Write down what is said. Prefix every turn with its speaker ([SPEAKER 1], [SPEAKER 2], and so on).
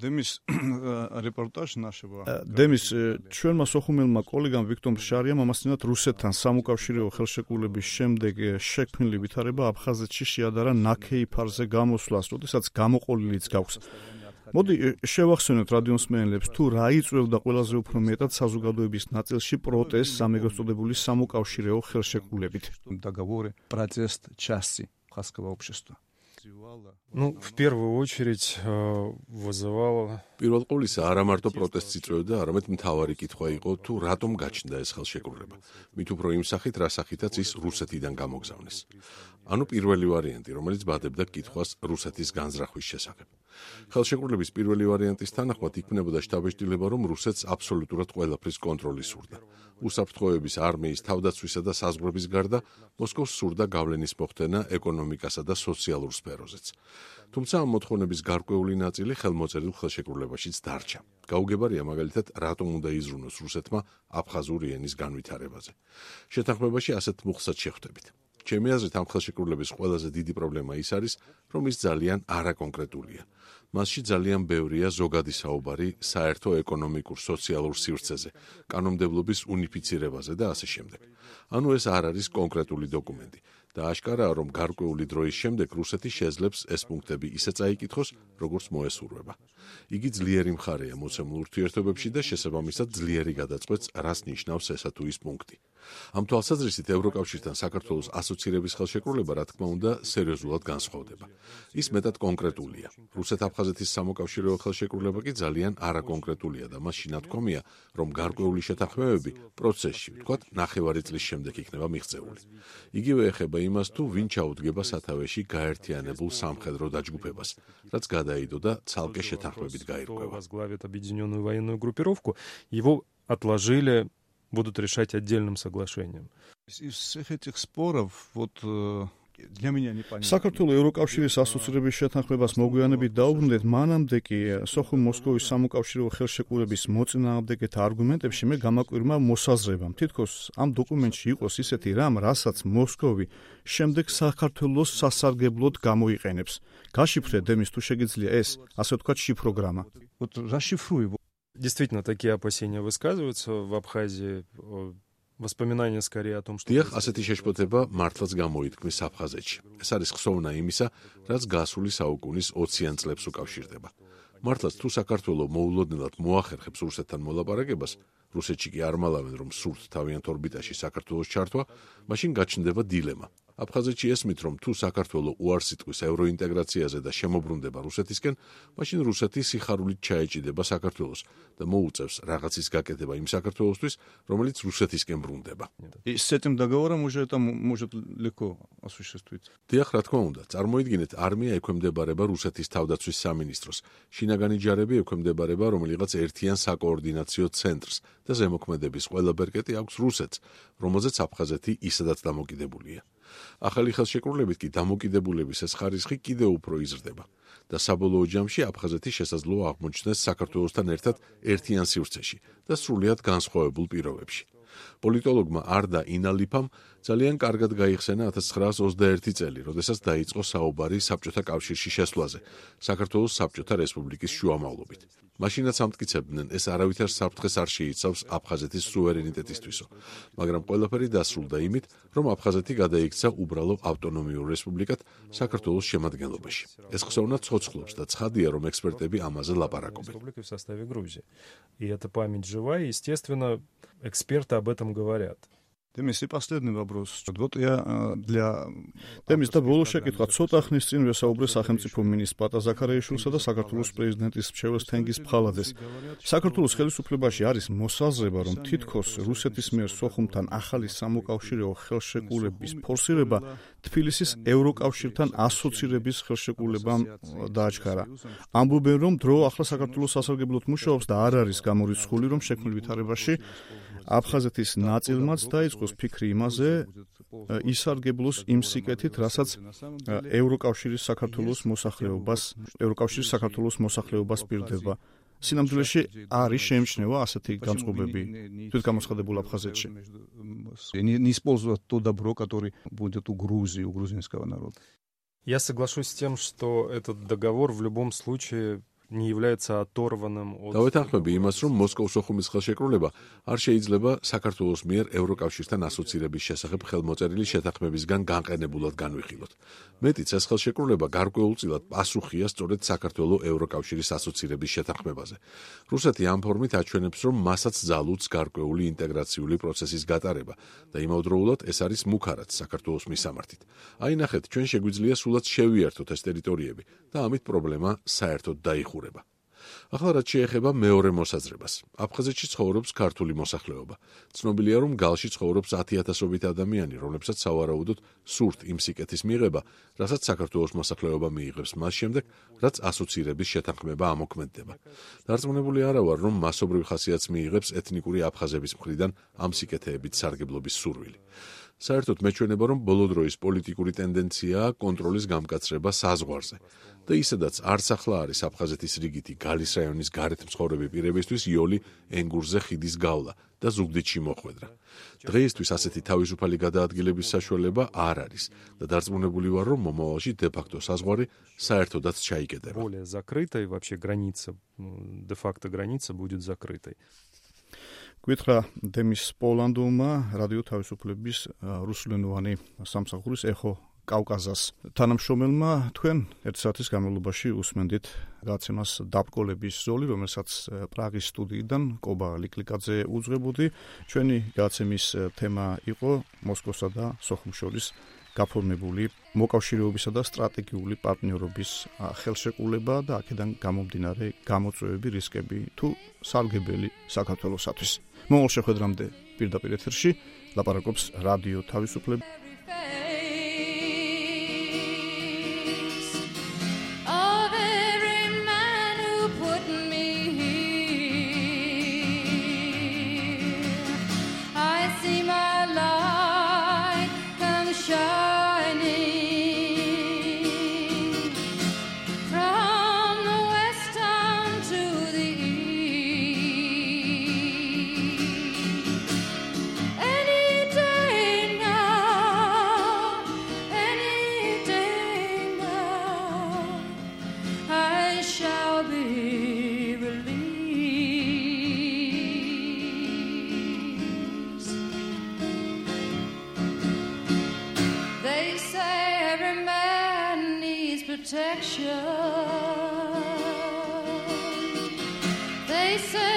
[SPEAKER 1] დემის რეპორტაჟი ნაშრობა.
[SPEAKER 2] დემის ჩვენმა სოხუმელმა კოლეგამ ვიქტორ შარიამ ამასთანავ რუსეთთან სამოკავშირეო ხელშეკრულების შემდეგ შექმნილი ვითარება აფხაზეთში შეადარა ნაქეი ფარზე გამოსვლას, როდესაც გამოყოლილიც გაქვს. მოდი შევახსენოთ რადიოსმენელებს თუ რა იწვევდა ყველაზე უფრო მეტად საზოგადოების ნაწილში პროტესტს ამ ეგრეთ სამოკავშირეო ხელშეკრულებით.
[SPEAKER 1] Договоры, протест части абхазского общества.
[SPEAKER 3] Ну, в первую очередь вызывало...
[SPEAKER 4] პირველ ყოვლისა არა მარტო პროტესტს იწვევდა, არამედ მთავარი კითხვა იყო თუ რატომ გაჩნდა ეს ხელშეკრულება. მით უფრო იმ სახით, რა სახითაც ის რუსეთიდან გამოგზავნეს. ანუ პირველი ვარიანტი, რომელიც ბადებდა კითხვას რუსეთის განზრახვის შესახებ. ხელშეკრულების პირველი ვარიანტის თანახმად იქმნებოდა შტაბ-ბიჭდილება, რომ რუსეთს აბსოლუტურად ყველაფრის კონტროლი სურდა. უსაფრთხოების არმიის თავდაცვისა და საზღვრების გარდა მოსკოვს სურდა გავლენის მოხდენა ეკონომიკასა და სოციალურ სფეროზეც. თუმცა ამ მოთხოვნების გარკვეული ნაწილი ხელმოწერილ ხელშეკრულებაშიც დარჩა. გაუგებარია მაგალითად, რატომ უნდა იზრუნოს რუსეთმა აფხაზური ენის განვითარებაზე. შეთანხმებაში ასეთ მუხსაც შეხვდებით. ჩემი აზრით, ამ ხელშეკრულების ყველაზე დიდი პრობლემა ის არის, რომ ის ძალიან არაკონკრეტულია. მასში ძალიან ბევრია ზოგადი საუბარი საერთო ეკონომიკურ, სოციალურ სივრცეზე, კანონმდებლობის უნიფიცირებაზე და ასე შემდეგ. ანუ ეს არ არის კონკრეტული დოკუმენტი და აშკარაა, რომ გარკვეული დროის შემდეგ რუსეთი შეძლებს ეს პუნქტები ისე წაიკითხოს, როგორც მოესურვება. იგი ძლიერი მხარეა მოცემულ ურთიერთობებში და შესაბამისად ძლიერი გადაწყვეტს, რას ნიშნავს ესა თუ ის პუნქტი. ამ თვალსაზრისით ევროკავშირთან საქართველოს ასოცირების ხელშეკრულება, რა თქმა უნდა, სერიოზულად განსხვავდება. ის მეტად კონკრეტულია. რუსეთ-აფხაზეთის სამოკავშირეო ხელშეკრულება კი ძალიან არაკონკრეტულია და მასში ნათქვამია, რომ გარკვეული შეთანხმებები პროცესში, ვთქვათ, ნახევარი წლის შემდეგ იქნება მიღწეული. იგივე ეხება იმას, თუ ვინ ჩაუდგება სათავეში გაერთიანებულ სამხედრო დაჯგუფებას, რაც გადაიდო და ცალკე შეთანხმებით გაირკვევა.
[SPEAKER 3] Возглавит объединенную военную группировку, его отложили, будут решать отдельным соглашением.
[SPEAKER 1] Из всех этих споров вот для меня непонятно.
[SPEAKER 2] საქართველოს ევროკავშირის ასოცირების შეთანხმებას მოგვიანებით დაუბრუნდეთ, მანამდე კი სოხუმ-მოსკოვის სამოკავშირეო ხელშეკრულების მოწინააღმდეგეთა არგუმენტებში მე გამაკვირმა მოსაზრებამ. თითქოს ამ დოკუმენტში იყოს ისეთი რამ, რასაც მოსკოვი შემდეგ საქართველოს სასარგებლოდ გამოიყენებს. გაშიფრე დემის თუ შეგიძლია ეს, ასე ვთქვათ, შიფროგრამა.
[SPEAKER 1] Вот расшифруй его.
[SPEAKER 3] Действительно, такие опасения высказываются в Абхазии. Воспоминания скорее о том, что...
[SPEAKER 4] დიახ, ასეთი შეშფოთება მართლაც გამოითქმის აფხაზეთში. ეს არის ხსოვნა იმისა, რაც გასული საუკუნის 20-იან წლებს უკავშირდება. მართლაც თუ საქართველო მოულოდნელად მოახერხებს რუსეთთან მოლაპარაკებას, რუსეთში კი არ მალავენ, რომ სურთ თავიანთ ორბიტაში საქართველოს ჩართვა, მაშინ გაჩნდება დილემა. აფხაზეთში ესმით, რომ თუ საქართველო უარს იტყვის ევროინტეგრაციაზე და შემოbrunდება რუსეთისკენ, მაშინ რუსეთი სიხარულით ჩაეჭიდება საქართველოს და მოუწევს რაღაცის გაკეთება იმ საქართველოსთვის, რომელიც რუსეთისკენ ბრუნდება.
[SPEAKER 1] И с этим договором уже это может легко осуществить.
[SPEAKER 4] დიახ, რა თქმა უნდა, წარმოიდგინეთ, არმია ექვემდებარება რუსეთის თავდაცვის სამინისტროს, შინაგანი ჯარები ექვემდებარება რომელიღაც ერთიან საკოორდინაციო ცენტრს და ზემოქმედების ყველა ბერკეტი აქვს რუსეთს, რომელზეც აფხაზეთი ისედაც დამოკიდებულია. ახალი ხელშეკრულებით კი დამოკიდებულების ეს ხარისხი კიდევ უფრო იზრდება და საბოლოო ჯამში აფხაზეთი შესაძლოა აღმოჩნდეს საქართველოსთან ერთად ერთიან სივრცეში და სრულიად განსხვავებულ პირობებში. პოლიტოლოგმა არდა ინალიფამ ძალიან კარგად გაიხსენა 1921 წელი, როდესაც დაიწყო საუბარი საბჭოთა კავშირში შესვლაზე, საქართველოს საბჭოთა რესპუბლიკის შუამავლობით. მაშინაც ამტკიცებდნენ, ეს არავითარ საფრთხეს არ შეიცავს აფხაზეთის სუვერენიტეტისთვისო, მაგრამ ყველაფერი დასრულდა იმით, რომ აფხაზეთი გადაიქცა უბრალო ავტონომიურ რესპუბლიკად საქართველოს შემადგენლობაში. ეს ხსოვნა ცოცხლობს და ცხადია, რომ ექსპერტები ამაზე ლაპარაკობენ.
[SPEAKER 3] В составе Грузии. И эта память жива, и, естественно, эксперты об этом говорят.
[SPEAKER 1] Демис и последний вопрос. Вот я для
[SPEAKER 2] დემის და ბოლო შეკითხვა ცოტა ხნის წინ ვესაუბრე სახელმწიფო მინისტრ პატა ზაქარიაშვილსა და საქართველოს პრეზიდენტის მრჩეველ თენგიზ ფხალაძეს. საქართველოს ხელისუფლებაში არის მოსაზრება, რომ თითქოს რუსეთის მიერ სოხუმთან ახალი სამოკავშირეო ხელშეკრულების ფორსირება თბილისის ევროკავშირთან ასოცირების ხელშეკრულებამ დააჩქარა. ამბობენ, რომ დრო ახლა საქართველოს სასარგებლოდ მუშაობს და არ არის გამორიცხული, რომ შექმნილ ვითარებაში აფხაზეთის ნაწილმაც დაიწყოს ფიქრი იმაზე, ისარგებლოს იმ სიკეთით, რასაც ევროკავშირის საქართველოს მოსახლეობას პირდება. სინამდვილეში არის შეიმჩნევა ასეთი განწყობები თვითგამოცხადებულ აფხაზეთში.
[SPEAKER 1] Не использовать то добро, которое будет у Грузии, у грузинского народа.
[SPEAKER 3] Я соглашусь с тем, что этот договор в любом случае не является оторванным от...
[SPEAKER 4] დავეთანხმები იმას, რომ მოსკოვის სოხუმის ხელშეკრულება არ შეიძლება საქართველოს მიერ ევროკავშირთან ასოცირების შესახებ ხელმოწერილი შეთანხმებისგან განყენებულად განვიხილოთ. მეტიც ეს ხელშეკრულება გარკვეულწილად პასუხია სწორედ საქართველოს ევროკავშირის ასოცირების შეთანხმებაზე. რუსეთი ამ ფორმით აჩვენებს, რომ მასაც ძალუძს გარკვეული ინტეგრაციული პროცესის გატარება და იმავდროულად ეს არის მუქარაც საქართველოს მისამართით. აი ნახეთ, ჩვენ შეგვიძლია სულაც შევიერთოთ ეს ტერიტორიები და ამით პრობლემა საერთოდ დაიხურება. ახლა რაც შეეხება მეორე მოსაზრებას. აფხაზეთში ცხოვრობს ქართული მოსახლეობა. ცნობილია, რომ გალში ცხოვრობს 10,000-ობით ადამიანი, რომლებსაც სავარაუდოდ სურთ იმ სიკეთის მიღება, რასაც საქართველოს მოსახლეობა მიიღებს მას შემდეგ, რაც ასოცირების შეთანხმება ამოქმედდება. დარწმუნებული არა ვარ, რომ მასობრივ ხასიათს მიიღებს ეთნიკური აფხაზების მხრიდან ამ სიკეთეებით სარგებლობის სურვილი. საერთოდ მეჩვენება, რომ ბოლო დროის პოლიტიკური ტენდენციაა კონტროლის გამკაცრება საზღვარზე. და ისედაც არც ახლა არის აფხაზეთის რიგითი გალის რაიონის გარეთ მცხოვრები პირებისთვის იოლი ენგურზე ხიდის გავლა და ზუგდიდში მოხვედრა. დღეისთვის ასეთი თავისუფალი გადაადგილების საშუალება არ არის და დარწმუნებული ვარ, რომ მომავალში დე-ფაქტო საზღვარი საერთოდაც ჩაიკეტება.
[SPEAKER 3] Более закрытой вообще граница, де-факто граница будет закрытой.
[SPEAKER 2] გითხრა დემის პოლანდულმა რადიო თავისუფლების რუსულენოვანი სამსახურის ეხო კავკაზას თანამშრომელმა თქვენ 1 საათის განმავლობაში უსმენდით გადაცემას დაბკოლების ზოლი, რომელსაც პრაღის სტუდიიდან კობა ლიკლიკაძე უძღვებოდი. ჩვენი გადაცემის თემა იყო მოსკოვსა და სოხუმს შორის გაფორმებული მოკავშირეობისა და სტრატეგიული პარტნიორობის ხელშეკრულება და აქედან გამომდინარე გამოწვევები, რისკები თუ სარგებელი საქართველოსათვის. მომავალ შეხვედრამდე პირდაპირ ეთერში ლაპარაკობს რადიო თავისუფლება.
[SPEAKER 5] Protection. They say